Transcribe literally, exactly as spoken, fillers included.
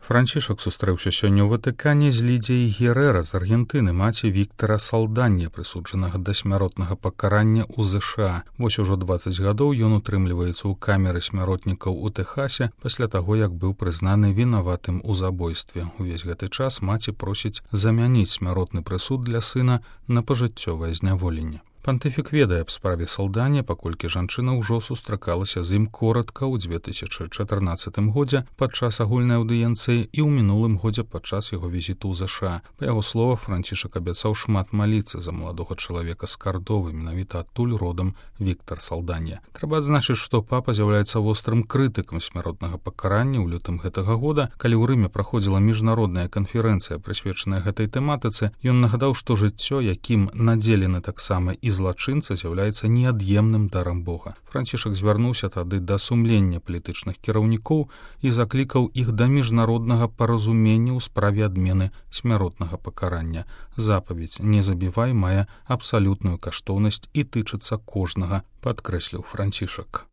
Францішак сустрэўся сёння ў Ватыкане з Лідзіяй Герэра з Аргентыны, маці Віктара Салданья, прысуджанага да смяротнага пакарання ў ЗША. Вось ужо дваццаць гадоў ён утрымліваецца ў камеры смяротнікаў у Тэхасе пасля таго, як быў прызнаны вінаватым у забойстве. Увесь гэты час маці просіць замяніць смяротны прысуд для сына на пажыццёвае зняволенне. Пантыфік ведае аб справе Салданья, паколькі жанчына ўжо сустракалася з ім коратка ў дзве тысячы чатырнаццатым годзе падчас агульнай аўдыенцыі і ў мінулым годзе падчас яго візіту ў ЗША. Па яго словах, Францішак абяцаў шмат маліцца за маладога чалавека з Кардовы, менавіта адтуль родам Віктар Салданья. Трэба адзначыць, што папа з'яўляецца вострым крытыкам смяротнага пакарання. У лютым гэтага года, калі ў Рыме праходзіла міжнародная канферэнцыя, прысвечаная гэтай тэматыцы, ён нагадаў, што жыццё, якім надзелены таксама і злачынца, з'яўляецца неад'емным дарам Бога. Францішак звярнуўся тады да сумлення палітычных кіраўнікоў і заклікаў іх да міжнароднага паразумення ў справе адмены смяротнага пакарання. Запаведь «Не забівай» мае абсалютную каштоўнасць і тычыцца кожнага, падкрэсліў Францішак.